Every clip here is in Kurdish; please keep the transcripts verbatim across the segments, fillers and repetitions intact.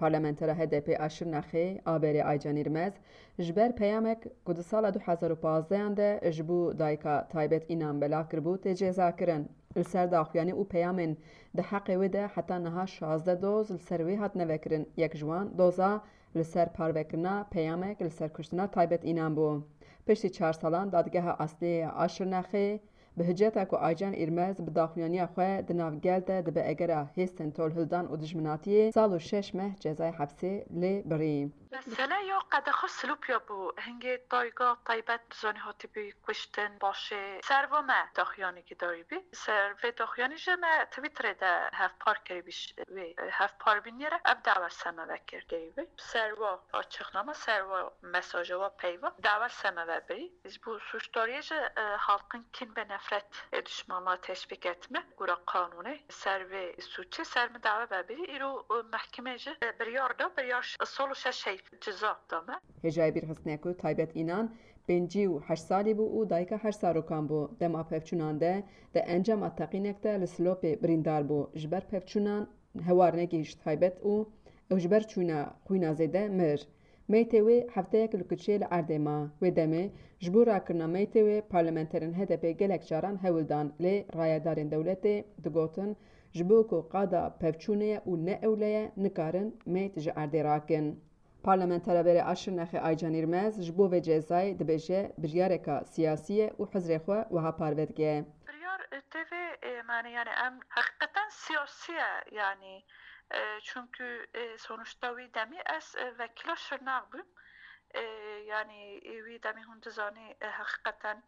Parlamentera H D P a Şirnexê, a berê Aycan Îrmez, ji ber peyamek ku di sala du hezar û pazdehan de ji bo dayika Taybet Înan belav kiribû, tê cezakirin. Li ser daxuyanî û peyamên di heqê wê de heta niha şazdeh doz li ser wê hatine vekirin. Yek ji wan doza li ser parvekirina peyamek li ser kuştina Taybet Înan bû. Piştî çar salan Dadgeha Esliyê ya Şirnexê bi hiceta ku Aycan Îrmez bi daxuyaniya xwe di nav gel de dibe egera hêstên tolhildan û dijminatiyê, sal û şeş meh cezayê hepsê lê birî. Mesele ya qedexa silopya bû. Hingê dayika Taybet bizanî hatibî kuştin, başê serva me daxuyanekî darîbî. Ser vê daxuyanî jî me Twitterê de hevpar kiribî, ş-, wê hevpar bîniyere ev dawa ser me vekir kiribî. Serva açıklama, serva mesaja wa peyva dawa ser me vebirî. Ji bo sûcdariyê jî, e, halkın kin ve nefret, e, düşmanlığa teşvik etme, gura kanûnê, ser vê sûcê ser min dawa vebirî. Îro, e, mehkemê jî, e, biryar da, biryar ş-, sal û şeş heyf ceza da me. Hêjayê bîrxistinê ku Taybet Înan pêncî û heşt salî bû û dayika heşt zarokan bû. Dema pevçûnan de, di encama teqînek de li Silopê birîndar bû. Ji ber pevçûnan hewar negihîşt taybet û ew ji ber çûna xwîna zêde mir. Meytê wê hefteyek li kuçê li erdê ma. Wê demê ji bo rakirina meytê wê parlamenterên H D P gelek caran hewl dan, lê rayedarên dewletê digotin, ji bo ku qada pevçûnê ye û ne ewle ye, nikarin meyt ji erdê rakin. Parlamentera berê a Şirnexê Aycan Îrmez ji bo vê cezayê dibêje biryareka siyasî ye û hizrê xwe wiha parve dike. Biryar, e, tevê, e, mane, yani em heqîqeten siyasî ye, yani, e, çünkü, e, sonuçta wî demî ez, e, vekîla Şirnex bûm. E, yani, e, wî demî hûn dizanî, e, heqîqeten,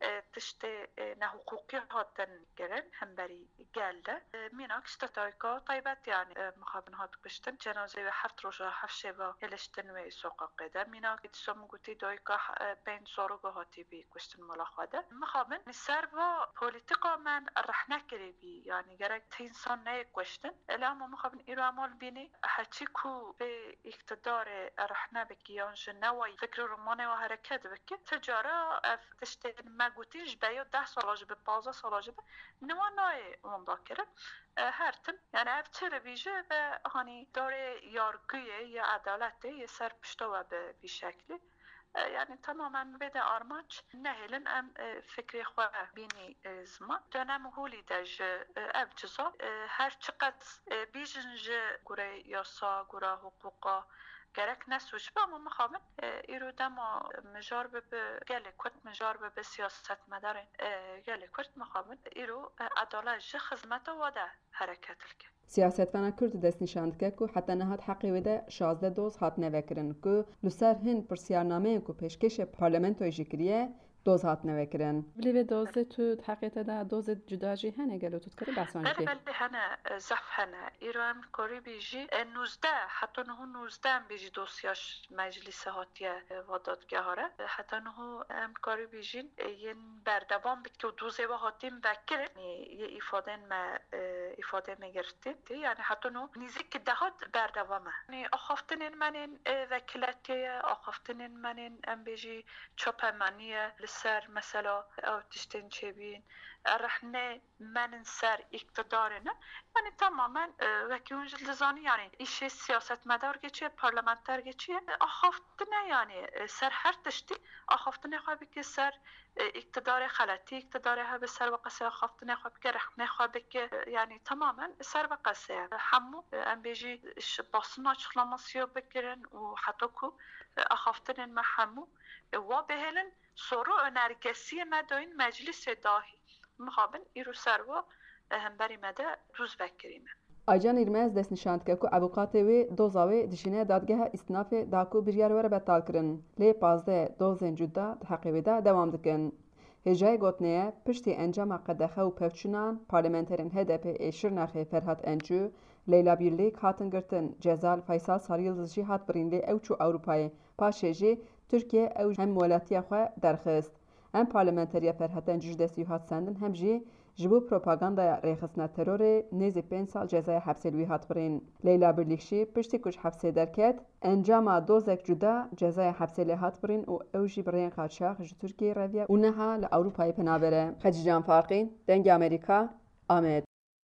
e, tiştê, e, nehiqûqî hatin kirin hemberî gel de. E, mînak işte dayika Taybet, yani, e, mixabin hat kuştin. Cenazê wê heft roja, heft şeva hiliştin wê soqaqê de. Mînak dîsa min gotî dayika, e, pênc zaroka hatî bî kuştin mala xwe de. Mixabin li ser va polîtîka me rehne kiribî. Yani gerek ti însan neyê kuştin. Ela ma mixabin îro em al bînî heçî ku vê îktidarê rehne bikî yan ji newayî fikr û romanê wa hereket bikî. Ti cara ev tiştên me gotîn ji beya deh sala jî bi, pazdeh sala jî bi, niha nayê wenda kirin. E, her tim, yani ev çi li vî jî ve, hani, darê yargiyê ya edaletê yê ser pişta we bi vî şeklî. E, yani tamamen vê de armanc nehêlin em, e, fikrê xwe bînî, e, ziman. Dönem holî de ji, e, ev ciza, e, her çiqas, e, bîjin ji gure yasa, gure huquqa, gerek ne sûc be, ama mixabin, e, îro dema mijar bibe, gelê Kurd mijar bibe, siyasetmedarên, e, gelê Kurd mixabin, îro, e, edalet ji xizmeta wa de hereket dike. Siyasetvana Kurd destnîşan dike ku heta niha di heqê wê de şazdeh doz hatine vekirin ku li ser hin pirsiyarnameyên ku pêşkêşê parlamentoyê jî kiriye, doz hatine vekirin. Bilî vê dozê tu di heqê te de dozê cuda jî hene gelo tu dikarî behsan jî Belê, bikî? Belê hene, e, zehf hene. Îro em karî bî jî, e, nûzdeh, heta niho nûzdeh em bêjî dosya ş-, meclîsê hatiye, e, va dadgeha re. E, heta niho em karî bî jîn, e, yên berdewam bike û dozê we hatîn vekirin. Yê îfadên me, e, îfadê me girtî. Yani heta niho nîzîk dehat berdewam e. Yani axaftinên me nên, e, vekiletiye ye, axaftinên me nên em bêjî çapemenî ye li ser mesela ew tiştên çêbîn, e, rehne menin ser îktidarê ne. Yani tamamen, e, wekî hûn jî dizanî, yani îşê siyasetmedar geçiye, parlamenter geçiye. E, axaftine yani, e, ser her tiştî axaftinê xwe bike ser, e, îktidarê xeletî, îktidarê hebe ser ve qesê axaftinê xwe bike, rexnê xwe bike. E, yani tamamen ser ve qesê ye. Hemû, e, em bêjî ji basîna açıklamasî ya bikirin û heta ku, e, axaftinên me hemû, e, wa bihêlin, soru önergesiyê me dayîn meclîsê dahî. Mixabin îro ser wa, e, hemberî me de dûz vekirî me. Aycan Îrmez destnîşan dike ku avûkatê wê doza wê dişîne dadgeha îstinafê da ku biryar were betalkirin. Lê pazdeh dozên cuda di heqê wê de dewam dikin. Hêjayê gotinê ye, piştî encama qedexe û pevçûnan, parlamenterên H D P ê Şirnexê Ferhat Ençû, Leyla Birlîk hatin girtin, ceza li Faysal Saryıldız jî hat birîn, lê ew çû Ewropayê. Paşê jî Tirkiye ew hem welatiya xwe derxist. Hem parlamenteriya Ferhat Ençû ji destî wî hat sendin, hem jî ji bo propagandaya rêxistina terorê nêzî pênc sal cezaya hepsê li wî hat birîn. Leyla Birlîk jî piştî ku ji hepsê derket, encama dozek cuda cezaya hepsê lê hat birîn û ew jî bi rêyên qaçax ji Tirkiyeyê reviya û niha li Ewropayê penaber e. Xecîcan Farqîn, Dengê Amerîka, Amed.